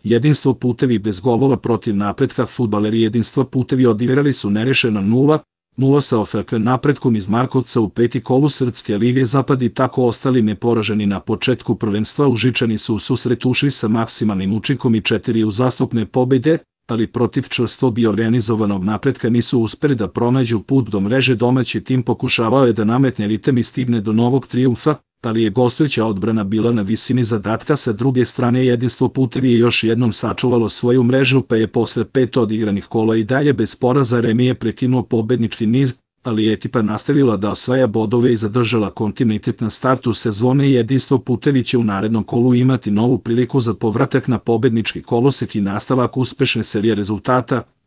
Jedinstvo Putevi bez golova protiv Napretka. Fudbaleri Jedinstva Putevi odigrali su nerešeno 0-0 sa OFK Napretkom iz Markovca u peti kolu Srpske lige Zapad i tako ostali neporaženi na početku prvenstva. Užičani su u susret ušli sa maksimalnim učinkom i 4 uzastopne pobede, ali protiv čvrsto bi organizovanog Napretka nisu uspeli da pronađu put do mreže. Domaći tim pokušavao je da nametne ritem i stigne do novog trijumfa, ali je gostujuća odbrana bila na visini zadatka. Sa druge strane, Jedinstvo Putevi je još jednom sačuvalo svoju mrežu, pa je posle 5 odigranih kola i dalje bez poraza. Remi je prekinuo pobednički niz, ali je ekipa nastavila da osvaja bodove i zadržala kontinuitet na startu sezone. Jedinstvo Putevi će u narednom kolu imati novu priliku za povratak na pobednički kolosek i nastavak uspešne serije rezultata,